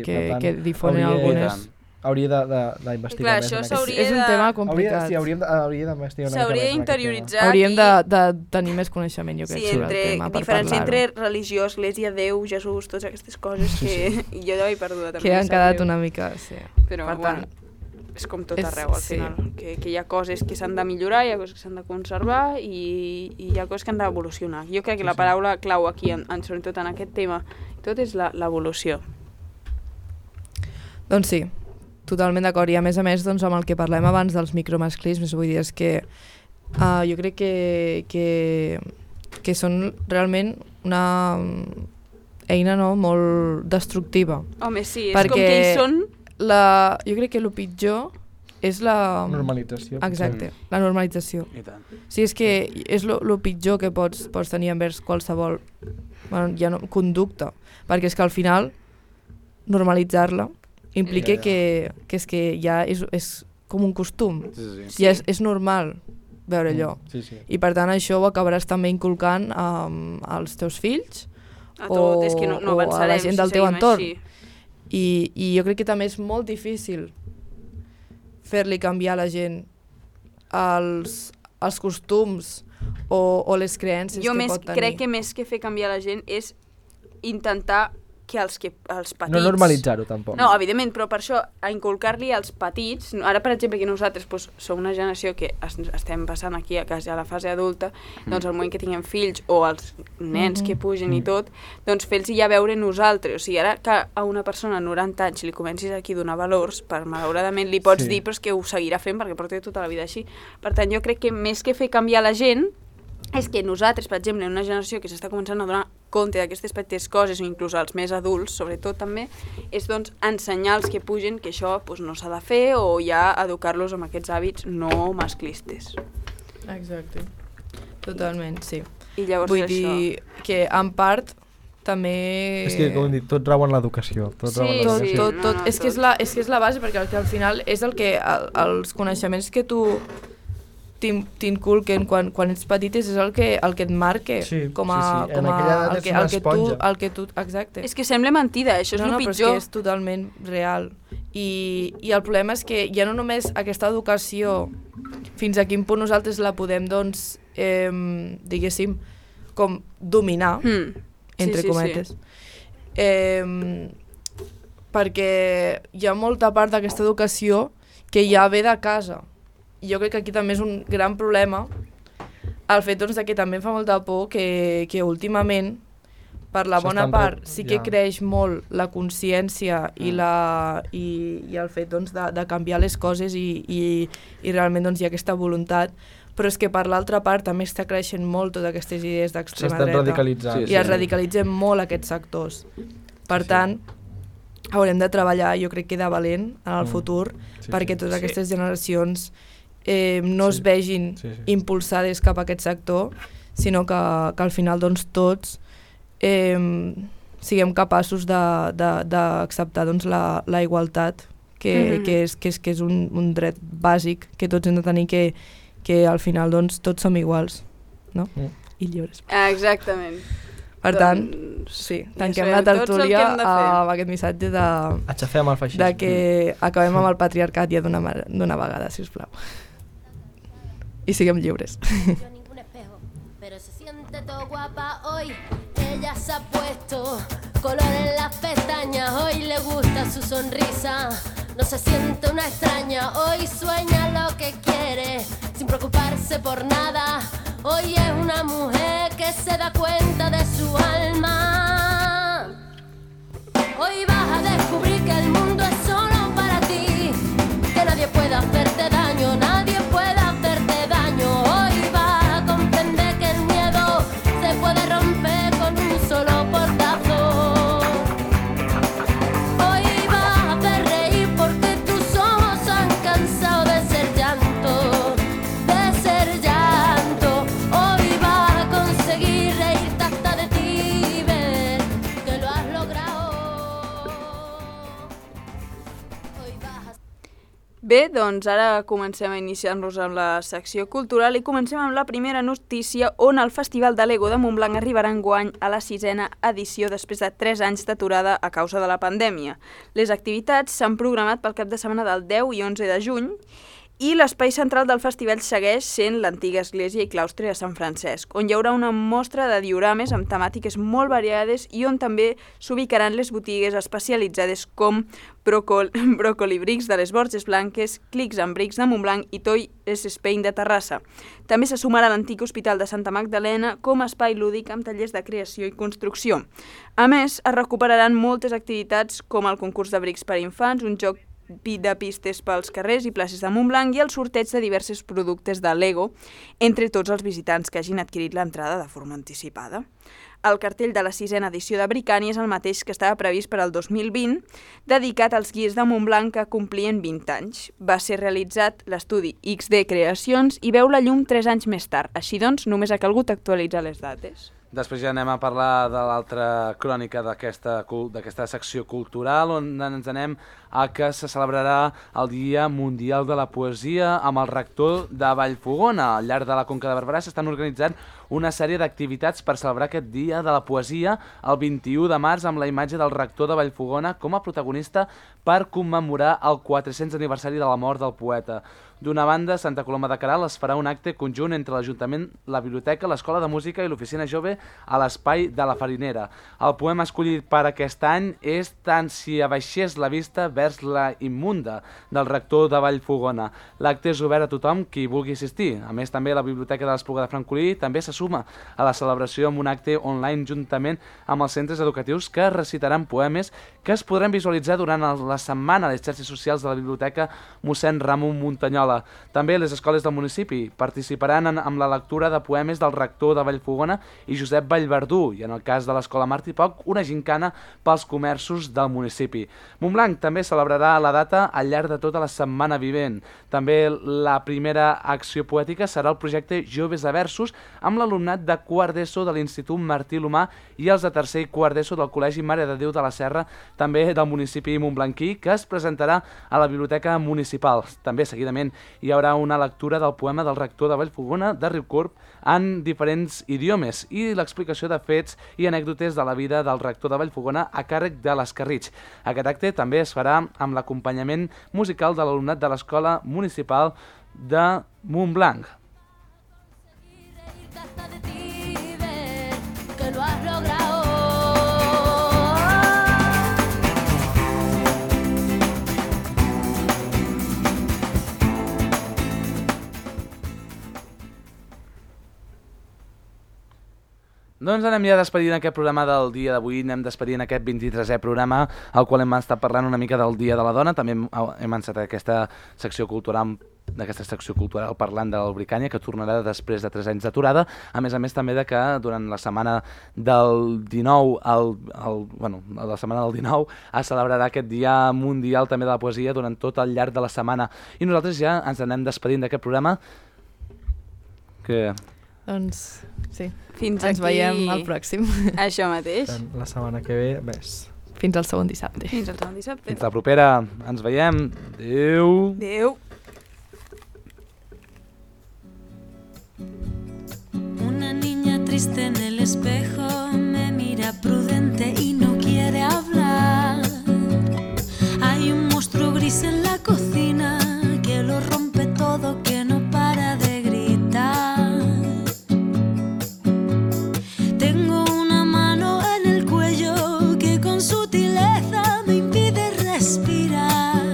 difonen algunes... Hauria d'investigar més. És un tema complicat. Hauria d'investigar una mica més. S'hauria d'interioritzar. Hauríem de tenir més coneixement, jo crec, sobre el tema, per parlar-ho. Diferència entre religió, església, Déu, Jesús, totes aquestes coses que jo ja he perduda també. Que han quedat una mica, sí. Però, bueno, és com tot arreu, al final. Que hi ha coses que s'han de millorar, hi ha coses que s'han de conservar i hi ha coses que han d'evolucionar. Jo crec que la paraula clau aquí, sobretot en aquest tema, tot és l'evolució. Doncs sí, totalment d'acord. I a més, doncs, amb el que parlem abans dels micromasclismes, vull dir, és que jo crec que són realment una eina molt destructiva. Home, sí, és com que hi són... Jo crec que el pitjor és la... normalització. Exacte, la normalització. Sí, és que és el pitjor que pots tenir envers qualsevol conducta, perquè és que al final normalitzar-la implica que és que ja és com un costum, ja és normal veure allò, i per tant això ho acabaràs també inculcant als teus fills o a la gent del teu entorn. I jo crec que també és molt difícil fer-li canviar a la gent els costums o les creences que pot tenir. Jo crec que més que fer canviar la gent és intentar que els petits... No normalitzar-ho, tampoc. No, evidentment, però per això, a inculcar-li als petits... Ara, per exemple, que nosaltres som una generació que estem passant aquí a la fase adulta, doncs al moment que tinguem fills o els nens que pugen i tot, doncs fer-los ja veure nosaltres. O sigui, ara que a una persona de 90 anys li comencis aquí a donar valors, malauradament li pots dir, però és que ho seguirà fent perquè porta tota la vida així. Per tant, jo crec que més que fer canviar la gent, és que nosaltres, per exemple, en una generació que s'està començant a donar compte d'aquestes petites coses, o inclús als més adults, sobretot també, és doncs ensenyar als que pugen que això no s'ha de fer o ja educar-los amb aquests hàbits no masclistes. Exacte. Totalment, sí. I llavors vull dir que en part també... És que, com hem dit, tot rau en l'educació. Tot. És que és la base, perquè al final és el que els coneixements que tu t'inculquen quan ets petit és el que et marca com el que tu... Exacte. És que sembla mentida, això és el pitjor. Però és que és totalment real. I el problema és que ja no només aquesta educació, fins a quin punt nosaltres la podem, doncs, diguéssim, com dominar, entre cometes. Perquè hi ha molta part d'aquesta educació que ja ve de casa. I jo crec que aquí també és un gran problema el fet doncs, que també em fa molta por que últimament, per la bona part, sí que creix molt la consciència i el fet doncs, de canviar les coses i realment doncs, hi ha aquesta voluntat, però és que per l'altra part també està creixent molt totes aquestes idees d'extrema dreta. S'estan radicalitzant. I es radicalitzen molt aquests sectors. Per tant, haurem de treballar, jo crec que de valent en el futur, perquè totes aquestes generacions no es vegin impulsades cap a aquest sector, sinó que al final doncs, tots siguem capaços d'acceptar doncs, la igualtat, que és un dret bàsic que tots hem de tenir, que al final doncs, tots som iguals, no? I lliures. Exactament. Per tant, sí, tanquem la tertúlia amb aquest missatge de que acabem amb el patriarcat ja d'una vegada, sisplau. Y siguen libres. Ningún espejo, pero se siente todo guapa hoy. Ella se ha puesto color en las pestañas. Hoy le gusta su sonrisa. No se siente una extraña. Hoy sueña lo que quiere sin preocuparse por nada. Hoy es una mujer que se da cuenta de su alma. Hoy va Bé, doncs ara comencem a iniciar-nos amb la secció cultural i comencem amb la primera notícia on el Festival de Lego de Montblanc arribarà enguany a la 6a edició després de 3 anys d'aturada a causa de la pandèmia. Les activitats s'han programat pel cap de setmana del 10 i 11 de juny i l'espai central del festival segueix sent l'antiga església i claustre de Sant Francesc, on hi haurà una mostra de diorames amb temàtiques molt variades i on també s'ubicaran les botigues especialitzades com Brocoli Bricks de les Borges Blanques, Clics and Bricks de Montblanc i Toy Spain de Terrassa. També se sumarà l'antic Hospital de Santa Magdalena com a espai lúdic amb tallers de creació i construcció. A més, es recuperaran moltes activitats com el concurs de brics per a infants, un joc de pistes pels carrers i places de Montblanc i el sorteig de diversos productes de Lego entre tots els visitants que hagin adquirit l'entrada de forma anticipada. El cartell de la 6a edició de Bricani és el mateix que estava previst per al 2020, dedicat als guies de Montblanc que complien 20 anys. Va ser realitzat l'estudi XD Creacions i veu la llum 3 anys més tard. Així doncs, només ha calgut actualitzar les dates. Després ja anem a parlar de l'altra crònica d'aquesta secció cultural, on ens anem a que se celebrarà el Dia Mundial de la Poesia amb el rector de Vallfogona. Al llarg de la Conca de Barberà s'estan organitzant una sèrie d'activitats per celebrar aquest Dia de la Poesia el 21 de març amb la imatge del rector de Vallfogona com a protagonista per commemorar el 400 aniversari de la mort del poeta. D'una banda, Santa Coloma de Queralt es farà un acte conjunt entre l'Ajuntament, la Biblioteca, l'Escola de Música i l'Oficina Jove a l'Espai de la Farinera. El poema escollit per aquest any és Tant si abaixés la vista vers la immunda, del rector de Vallfogona. L'acte és obert a tothom qui vulgui assistir. A més, també la Biblioteca de l'Espluga de Francolí també se suma a la celebració amb un acte online juntament amb els centres educatius que recitaran poemes que es podran visualitzar durant la setmana a les xarxes socials de la Biblioteca Mossèn Ramon Muntanyola. També les escoles del municipi participaran amb la lectura de poemes del rector de Vallfogona i Josep Vallverdú i, en el cas de l'Escola Martí Poc, una gincana pels comerços del municipi. Montblanc també celebrarà la data al llarg de tota la setmana vivent. També la primera acció poètica serà el projecte Joves a Versos amb l'alumnat de quart d'ESO de l'Institut Martí Lomà i els de tercer i quart d'ESO del Col·legi Mare de Déu de la Serra, també del municipi montblanquí, que es presentarà a la Biblioteca Municipal. També, seguidament, hi haurà una lectura del poema del rector de Vallfogona, de Riucorb, en diferents idiomes i l'explicació de fets i anècdotes de la vida del rector de Vallfogona a càrrec de l'Escarritx. Aquest acte també es farà amb l'acompanyament musical de l'alumnat de l'Escola Municipal de Montblanc. Doncs anem ja despedint aquest programa del dia d'avui, anem despedint aquest 23è programa, al qual hem estat parlant una mica del Dia de la Dona, també hem encetat aquesta secció cultural parlant del Bricània, que tornarà després de 3 anys d'aturada, a més també de que durant la setmana del 19, la setmana del 19, es celebrarà aquest Dia Mundial també de la Poesia durant tot el llarg de la setmana. I nosaltres ja ens anem despedint d'aquest programa. Doncs sí, ens veiem al pròxim. Això mateix. La setmana que ve, més. Fins al segon dissabte. Fins la propera. Ens veiem. Adéu. Adéu. Una niña triste en el espejo me mira prudente y no quiere hablar. Hay un monstruo gris en la cocina que lo rompe todo, que no para de gritar. Tengo una mano en el cuello que con sutileza me impide respirar.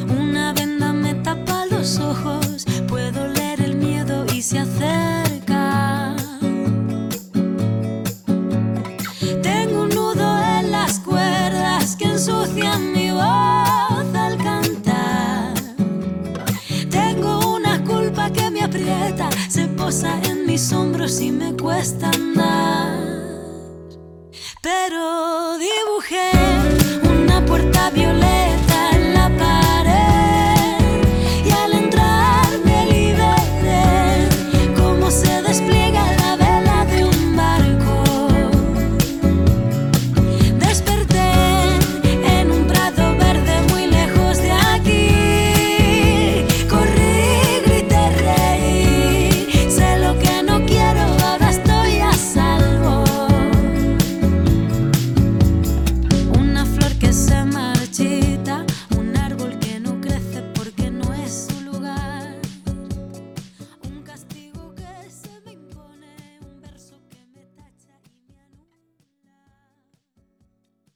Una venda me tapa los ojos, puedo leer el miedo y se acerca. Tengo un nudo en las cuerdas que ensucian mi voz al cantar. Tengo una culpa que me aprieta, se posa en mis hombros y me cuesta andar. Pero dibujé una puerta violeta